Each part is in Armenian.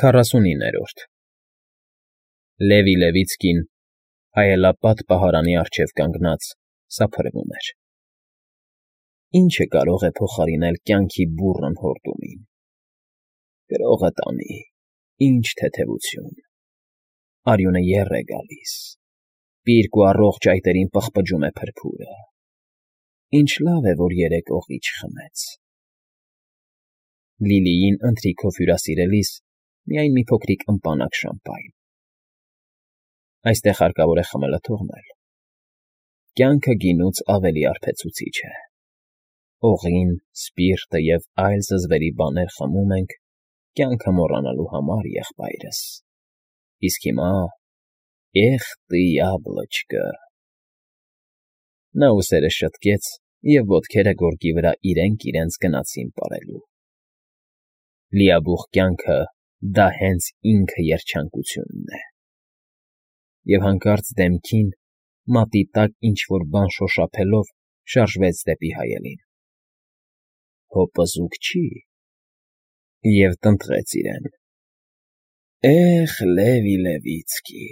49-րդ Լևի Լևիցկին հայելապատ պահարանի առջև կանգնած սափրվում էր։ Ի՞նչը կարող է փոխարինել կյանքի բուռն հորդումին։ Գրողը տանի, ինչ թեթևություն, արյունը եռ է գալիս, պիրկ ու առողջ այտերին պղպջում է փրփուրը։ Ինչ լավ է, որ երեկ օղի չխմեց։ Լիլիին ընթրիքով հյուրասիրելիս միայն մի փոքրիկ ըմպանակ շամպայն։ Այստեղ հարկավոր է խմելը թողնել։ Կյանքը գինուց ավելի արբեցուցիչ է։ Օղին, սպիրտը և այլ զզվերի բաներ խմում ենք կյանքը մոռանալու համար, եղբայրս։ Իսկ հիմա… Էխ տի յաբլոչկը… Նա ուսերը շտկեց, և ոտքերը գորգի վրա իրենք գնացին պարելու։ Լիաբուխ կյանքը դա հենց ինքը երջանկությունն է։ Եվ հանկարծ դեմքին, մատի տակ ինչ֊որ բան շոշափելով, շարժվեց դեպի հայելին։ Հո պզուկ չի… Եվ տնտղեց իրեն. Էխ, Լևի Լևիցկի,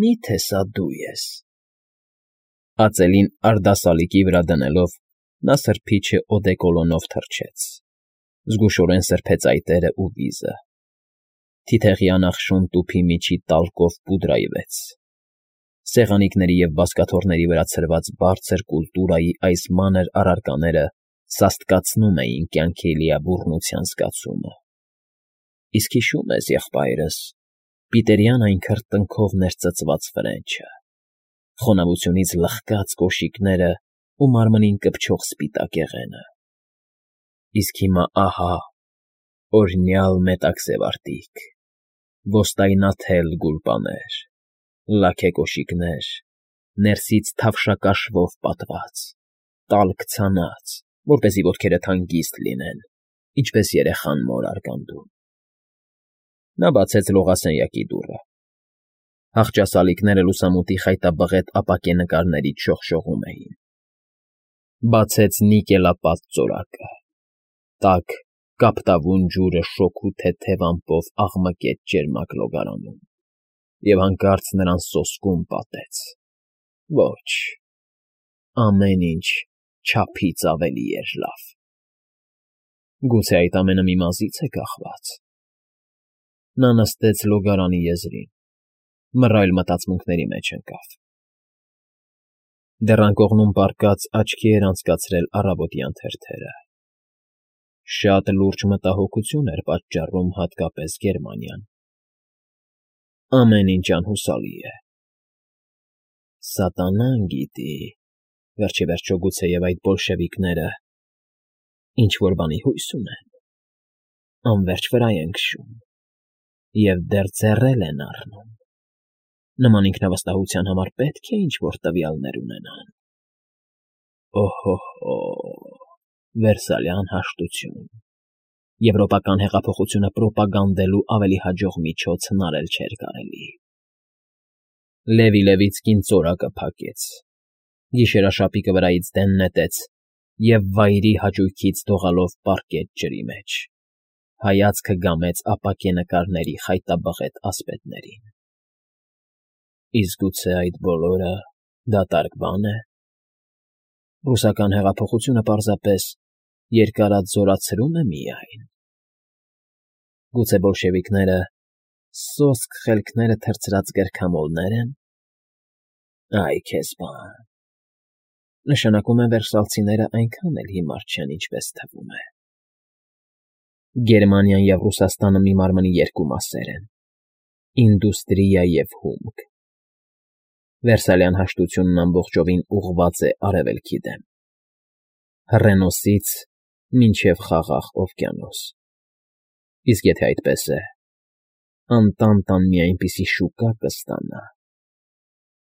մի՞թե սա դու ես… Ածելին արդասալիկի վրա դնելով, նա սրբիչը օդեկոլոնով թռչեց, զգուշորեն սրբեց այտերը ու վիզը, թիթեղի անախշուն տուփի միջի տալկով պուդրայվեց։ Սեղանիկների և բազկաթոռների վրա ցրված բարձր կուլտուրայի այս մանր առարկաները սաստկացնում էին կյանքի լիաբուռնության զգացումը։ Իսկ հիշո՞ւմ ես, եղբայրս, պիտերյան այն քրտնքով ներծծված ֆրենչը, խոնավությունից լխկած կոշիկները ու մարմնին կպչող սպիտակ եղենը։ Իսկ հիմա ահա, օրհնյալ մետաքսևարտիք, ոստայնաթել գուլպաներ, լաքե կոշիկներ, ներսից թավշակաշվով պատված, տալք ցանած, որպեսզի ոտքերդ հանգիստ լինեն, ինչպես երեխան մոր արգանդում։ Նա բացեց լողասենյակի դուռը։ Հախճասալիկները լուսամուտի խայտաբղետ ապակե նկարներից շողշողում էին։ Բացեց նիկելապատ ծորակը։ Տաք, կապտավուն ջուրը շոգ ու թեթև ամպով աղմկեց ճերմակ լոգարանում և հանկարծ նրան սոսկում պատեց. Ոչ, ամեն ինչ չափից ավելի էր լավ։ Գուցե այդ ամենը մի մազի՞ց է կախված։ Նա նստեց լոգարանի եզրին, մռայլ մտածմունքների մեջ ընկավ։ Դեռ անկողնում պառկած աչքի էր անցկացրել առավոտյան թերթերը։ Շատ լուրջ մտահոգություն էր պատճառում հատկապես Գերմանիան։ Ամեն ինչ անհուսալի է։ Սատանան գիտի, վերջիվերջո գուցեև այդ բոլշևիկները ինչ֊որ բանի հույս ունեն, անվերջ վրա են քշում և դեռ ձեռել են առնում։ Նման ինքնավստահության համար պետք է ինչ֊որ տվյալներ ունենան։ Օհո՜հո՜, վերսալյան հաշտություն… Եվրոպական հեղափոխությունը պրոպագանդելու ավելի հաջող միջոց հնարել չէր կարելի։ Լևի Լևիցկին ծորակը փակեց, գիշերաշապիկը վրայից դեն նետեց և վայրի հաճույքից դողալով պառկեց ջրի մեջ, հայացքը գամեց ապակե նկարների խայտաբղետ ասպետներին։ Իսկ գուցե այդ բոլորը դատարկ բան է… Ռուսական հեղափոխությունը պարզապես երկարաձորացրում է միայն… Գուցե բոլշևիկները սոսկ խելքները թռցրած գրքամոլնե՞ր են… Այ քեզ բան… Նշանակում է վերսալցիները այնքան էլ հիմար չեն, ինչպես թվում է։ Գերմանիան և Ռուսաստանը մի մարմնի երկու մասեր են՝ ինդուստրիա և հումք։ Վերսալյան հաշտությունն ամբողջովին ուղղված է Արևելքի դեմ, հռենոսից մինչև Խաղաղ օվկիանոս։ Իսկ եթե այդպես է, Անտանտան մի այնպիսի շուկա կստանա,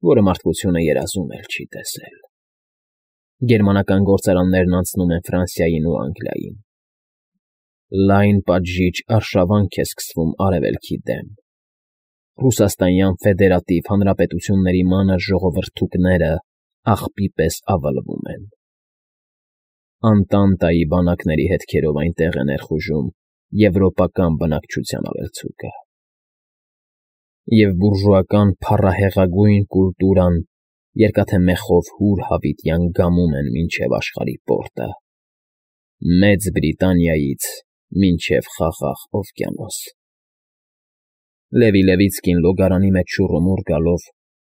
որը մարդկությունը երազում էլ չի տեսել։ Գերմանական գործարաններն անցնում են Ֆրանսիային ու Անգլիային։ Լայն պատժիչ արշավանք է սկսվում Արևելքի դեմ։ Ռուսաստանյան ֆեդերատիվ հանրապետությունների մանր ժողովրդուկները աղբի պես ավլվում են։ Անտանտայի բանակների հետքերով այնտեղ է ներխուժում եվրոպական բնակչության ավելցուկը։ Եվ բուրժուական փառահեղագույն կուլտուրան երկաթե մեխով հուր հավիտյան գամում են մինչև աշխարհի պորտը, Մեծ Բրիտանիայից մինչև Խաղաղ օվկիանոս։ Լևի Լևիցկին լոգարանի մեջ շուռումուռ գալով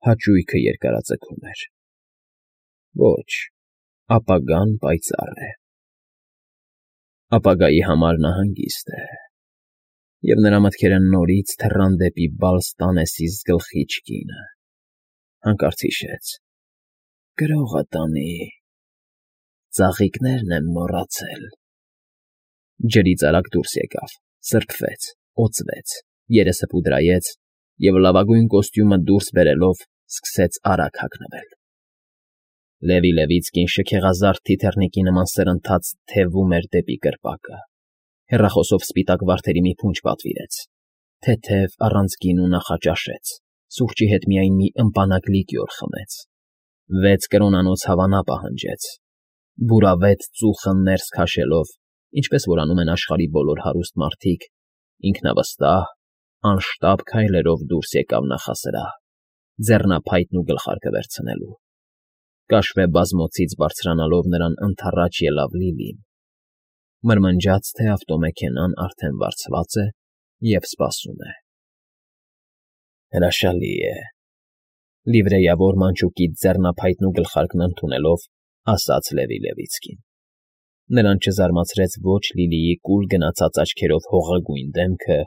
հաճույքը երկարաձգում էր։ Ոչ, ապագան պայծառ է։ Ապագայի համար նա հանգիստ է, և նրա մտքերը նորից թռան դեպի Բալստանեսիս գլխիչ կինը, հանկարծ հիշեց. «Գրողը տանի, ծաղիկներն եմ մոռացել»։ Ջրից արագ դուրս եկավ, սրբվեց, օծվեց, երեսը պուդրայեց և լավագույն կոստյումը դուրս բերելով սկսեց արագ հագնվել։ Լևի Լևիցկին շքեղազարդ թիթեռնիկի նման սրընթաց թևում էր դեպի կրպակը, հեռախոսով սպիտակ վարդերի մի փունջ պատվիրեց, թեթև առանց գինու նախաճաշեց, սուրճի հետ միայն մի ըմպանակ լիկյոր խմեց, 6 կրոնանոց հավանա պահանջեց, բուրավետ ծուխը ներս քաշելով, ինչպես որ անում են աշխարհի բոլոր հարուստ մարդիկ, ինքնավստահ, անշտապ քայլերով դուրս եկավ նախասրահ, ձեռնափայտն ու գլխարկը վերցնելու։ Կաշվե բազմոցից բարձրանալով նրան ընդառաջ ելավ Լիլին, մրմնջաց, թե ավտոմեքենան արդեն վարձված է և սպասում է։ Հրաշալի է, լիվրեյավոր մանչուկից ձեռնափայտն ու գլխարկն ընդունելով, ասաց Լևի Լևիցկին։ Նրան չզարմացրեց ոչ Լիլիի կուլ գնացած աչքերով հողագույն դեմքը,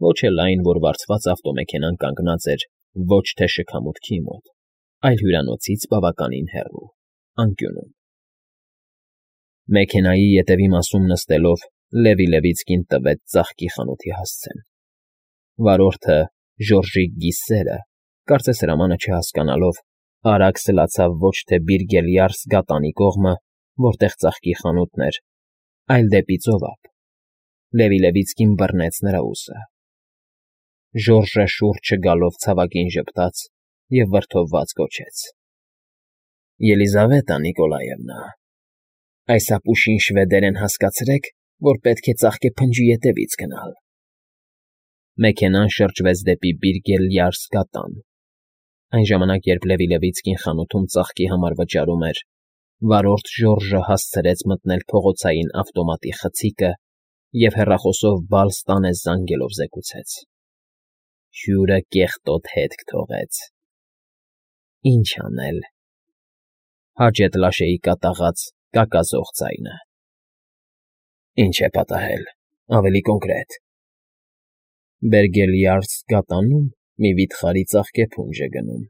ոչ էլ այն, որ վարձված ավտոմեքենան կանգնած էր ոչ թե շքամուտքի մոտ, այլ հյուրանոցից բավականին հեռու, անկյունում։ Մեքենայի ետևի մասում նստելով Լևի Լևիցկին տվեց ծաղկի խանութի հասցեն։ Վարորդը, Ժորժիկ Գիսերը, կարծես հրամանը չհասկանալով, արագ սլացավ ոչ թե Բիրգելյարս գատանի կողմը, որտեղ ծաղկի խանութն էր, այլ դեպի ծովափ։ Լևի Լևիցկին բռնեց նրա ուսը։ Ժորժը շուրջը գալով ցավակին ժպտաց և վրդովված գոչեց. «Ելիզավետա Նիկոլաևնա, այս ապուշին շվեդերեն հասկացրեք, որ պետք է ծաղկեփնջի ետևից գնալ»։ Մեքենան շրջվեց դեպի Բիրգելյարս գատան։ Այն ժամանակ, երբ Լևի Լևիցկին խանութում ծաղկի համար վճարում էր, վարորդ Ժորժը հասցրեց մտնել փողոցային ավտոմատի խցիկը և հեռախոսով Բալստանես զանգելով զեկուցեց. «Հյուրը կեղտոտ հետք թողեց»։ Ինչ անել։ Հաջետ լաշեի կատաղած, կակազող ձայնը։ Ինչ է պատահել, ավելի կոնկրետ։ Բերգելյարս գատանում մի վիթխարի ծաղկեփունջ է գնում։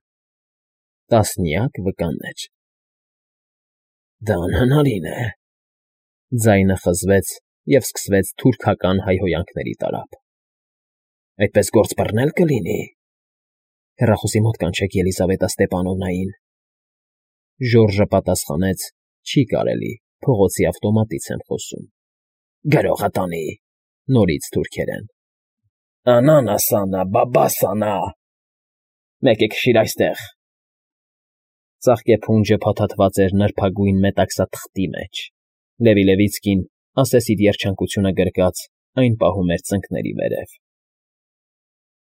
Տասնյակ վկաներ։ Դա անհնարին է։ Ձայնը խզվեց և սկսվեց թուրքական հայհոյանքների տարափ։ Այդպես գործ բռնել կլինի։ Հեռախոսի մոտ կանչեք Ելիզավետա Ստեպանովնային։ Ժորժը պատասխանեց. չի կարելի, փողոցի ավտոմատից եմ խոսում։ Գրողը տանի, նորից թուրքերեն։ Անանասանա, բաբասանա։ Մեկ է քշիր այստեղ։ Ծաղկեփունջը փաթաթված էր նրբագույն մետաքսաթղթի մեջ։ Լևի Լևիցկին, ասեսիդ երջանկությունը գրկած, այն պահում էր ծնկների վերև։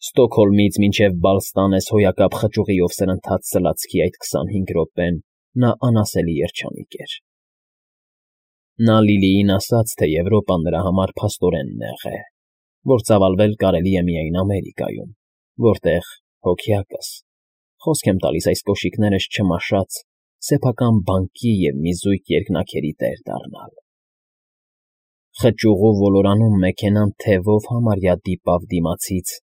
Ստոկհոլմից մինչև Բալստանես հոյակապ խճուղիով սրընթաց սլացքի այդ 25 րոպեն նա անասելի երջանիկ էր։ Նա Լիլիին ասաց, թե Եվրոպան նրա համար փաստորեն նեղ է, որ ծավալվել կարելի է միայն Ամերիկայում, որտեղ, հոգյակս, խոսք եմ տալիս այս կոշիկներս չմաշած, սեփական բանկի և մի զույգ երկնաքերի տեր դառնալ։ Խճուղու ոլորանում մեքենան թևով համարյա դիպավ դիմացից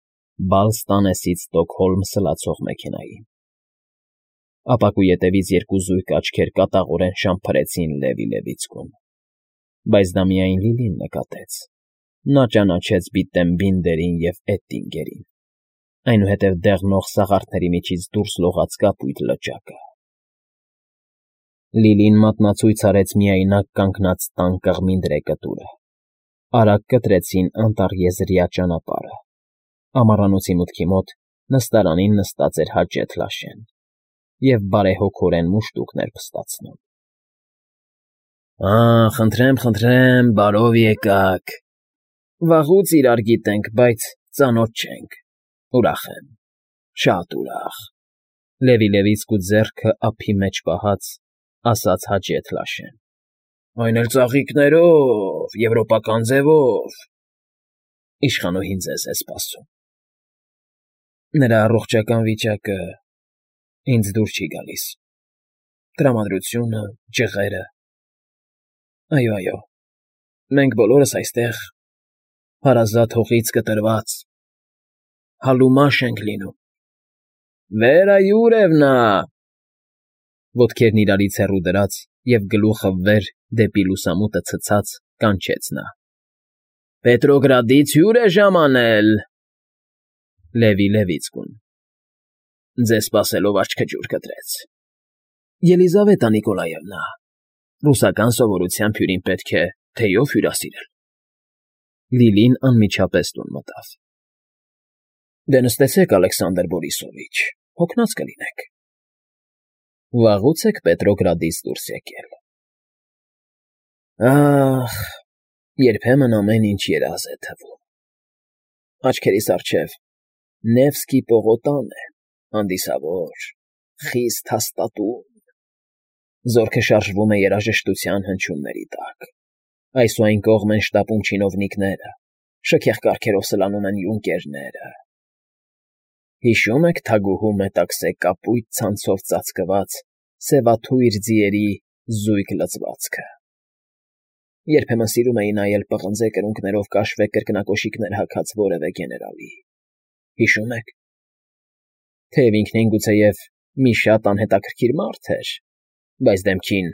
Բալստանեսից Ստոկհոլմ սլացող մեքենային։ Ապակու ետևից երկու զույգ աչքեր կատաղորեն շամփրեցին Լևի Լևիցկուն։ Բայց դա միայն Լիլին նկատեց։ Նա ճանաչեց Բիտտենբինդերին և Էտտինգերին, այնուհետև դեղնող սաղարթների միջից դուրս լողաց կապույտ լճակը։ Լիլին մատնացույց արեց միայնակ կանգնած տան կղմինդրե կտուրը։ Արագ կտրեցին անտառեզրյա ճանապարհը։ Ամառանոցի մուտքի մոտ նստարանին նստած էր Հաջեթ Լաշեն և բարեհոգորեն մուշտուկներ փստացնում։ Խնդրեմ, բարով եկաք։ Վաղուց իրար գիտենք, բայց ծանոթ չենք։ Ուրախ եմ, շատ ուրախ։ Լևի-լևիցկու ձեռքը ափի մեջ պահած, ասաց հաճետ Լաշեն։ Այն էլ ծաղիկներով, եվրոպական ձևով։ Իշխանուհին ձեզ է սպասում։ Նրա առողջական վիճակը ինձ դուր չի գալիս։ Տրամադրությունը, ջղերը… Այո, մենք բոլորս այստեղ հարազատ հողից կտրված, հալումաշ ենք լինում։ Վերա Յուրևնա… Ոտքերն իրարից հեռու դրած և գլուխը վեր դեպի լուսամուտը ցցած կանչեց նա։ Պետրոգրադից հյուր է ժամանել… Լևի-Լևիցկուն ձեզ սպասելով աչքը ջուր կտրեց։ Ելիզավետա Նիկոլաևնա, ռուսական սովորությամբ հյուրին պետք է թեյով հյուրասիրել։ Լիլին անմիջապես տուն մտավ։ Դե նստեցեք, Ալեքսանդր Բորիսովիչ, հոգնած կլինեք։ Վաղուց եք Պետրոգրադից դուրս եկել։ Ախ, երբեմն ամեն ինչ երազ է թվում։ Աչքերիս առջև Նևսկի պողոտան է, հանդիսավոր, խիստ հաստատուն։ Զորքը շարժվում է երաժշտության հնչյունների տակ։ Այս ու այն կողմ են շտապում չինովնիկները, շքեղ կառքերով սլանում են յունկերները։ Հիշո՞ւմ եք թագուհու մետաքսե կապույտ ցանցով ծածկված սևաթույր ձիերի զույգ լծվածքը։ Երբեմն սիրում էի նայել պղնձե կրունկներով կաշվե կրկնակոշիկներ հագած որևէ գեներալի։ Հիշո՞մ եք։ Թեև ինքնին գուցեև մի շատ անհետաքրքիր մարդ էր, բայց դեմքին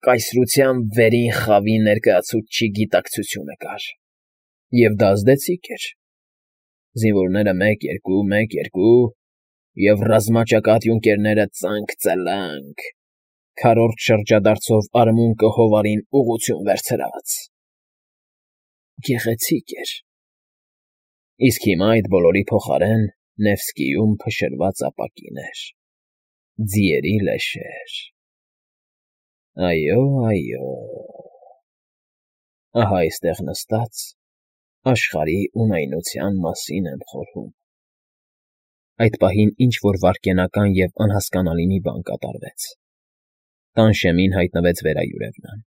կայսրության վերին խավի ներկայացուցչի գիտակցությունը կար։ Եվ դա ազդեցիկ էր։ Զինվորները 1-2, և ռազմաճակատ յունկերները ծանկ֊ծլանկ, քառորդ շրջադարձով արմունկը հովարին ուղղություն վերցրած։ Գեղեցիկ էր։ Իսկ հիմա այդ բոլորի փոխարեն Նևսկիում փշրված ապակիներ, ձիերի լեշեր… Այո, ահա այստեղ նստած աշխարհի ունայնության մասին եմ խորհում։ Այդ պահին ինչ֊որ վայրկենական և անհասկանալի մի բան կատարվեց։ Տան շեմին հայտնվեց Վերա Յուրևնան։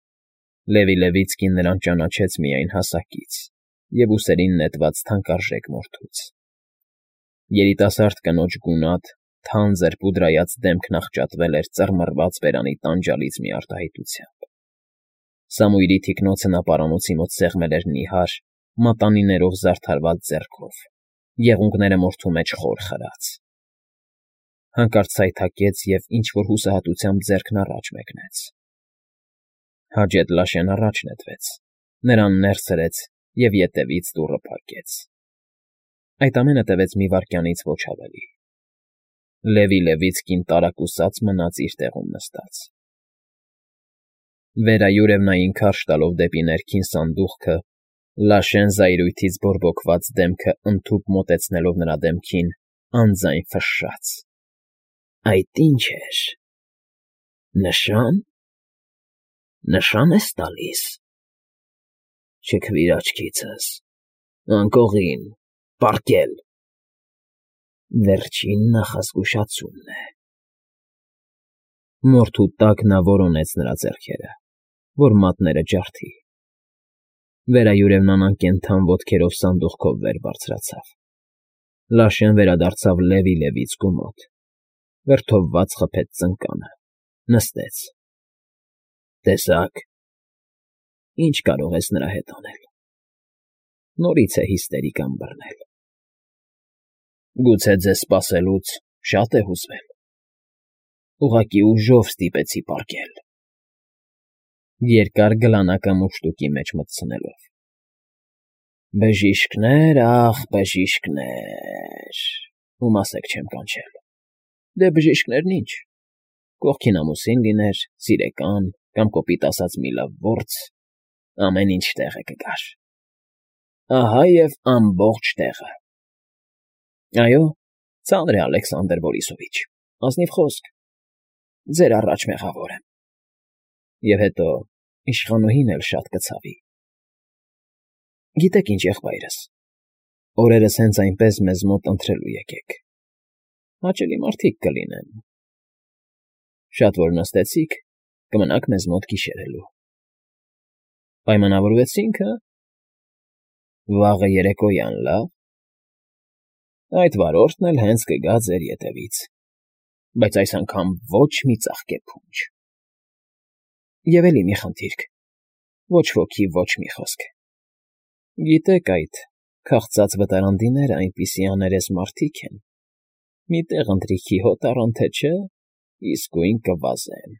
Լևի-Լևիցկին նրան ճանաչեց միայն հասակից և ուսերին նետված թանկարժեք մորթուց։ Երիտասարդ կնոջ գունատ, թանձր պուդրայած դեմքն աղճատվել էր ծռմռված բերանի տանջալից մի արտահայտությամբ։ Սամույրի թիկնոցը նա պարանոցի մոտ սեղմել էր նիհար, մատանիներով զարդարված ձեռքով, եղունգները մորթու մեջ խոր խրած։ Հանկարծ սայթաքեց և ինչ֊որ հուսահատությամբ ձեռքն առաջ մեկնեց։ Հաջետ Լաշեն առաջ նետվեց, նրան ներս հրեց և ետևից դուռը փակեց։ Այդ ամենը տևեց մի վայրկյանից ոչ ավելի։ Լևի-Լևիցկին տարակուսած մնաց իր տեղում նստած։ Վերա Յուրևնային քարշ տալով դեպի ներքին սանդուղքը, Լաշեն զայրույթից բորբոքված դեմքը ընդհուպ մոտեցնելով նրա դեմքին, անձայն ֆշշաց. Այդ ի՞նչ էր… Նշա՞ն… Նշա՞ն ես տալիս… Չքվիր աչքիցս… Անկողին… Պառկել… Վերջին նախազգուշացումն է… Մորթու տակ նա որոնեց նրա ձեռքերը, որ մատները ջարդի։ Վերա Յուրևնան անկենդան ոտքերով սանդուղքով վեր բարձրացավ։ Լաշեն վերադարձավ Լևի-Լևիցկու մոտ, վրդովված խփեց ծնկանը, նստեց։ Տեսա՞ք… Ինչ կարող ես նրա հետ անել… Նորից է հիստերիկան բռնել… Գուցե ձեզ սպասելուց շատ է հուզվել… Ուղղակի ուժով ստիպեցի պառկել… Երկար գլանակը մուշտուկի մեջ մտցնելով։ Բժիշկներ, ախ, բժիշկներ… Ում ասեք չեմ կանչել… Դե բժիշկներն ինչ… Կողքին ամուսին լիներ, սիրեկան կամ կոպիտ ասած մի լավ որձ, ամեն ինչ տեղը կգար… Ահա և ամբողջ տեղը… Այո, ծանր է, Ալեքսանդր Բորիսովիչ, ազնիվ խոսք… Ձեր առաջ մեղավոր եմ… Եվ հետո իշխանուհին էլ շատ կցավի… Գիտեք ինչ, եղբայրս, օրերս հենց այնպես մեզ մոտ ընթրելու եկեք, հաճելի մարդիկ կլինեն, շատ որ նստեցիք, կմնաք մեզ մոտ գիշերելու, պայմանավորվեցի՞նք, հը՞, վաղը երեկոյան, լավ, այդ վարորդն էլ հենց կգա ձեր ետևից, բայց այս անգամ ոչ մի ծաղկե փունջ։ Եվ էլի մի խնդիրք, ոչ ոքի ոչ մի խոսք, գիտեք այդ քաղցած վտարանդիները այնպիսի աներես մարդիկ են, մի տեղ ընթրիքի հոտ առան թե չէ, իսկույն կվազեն։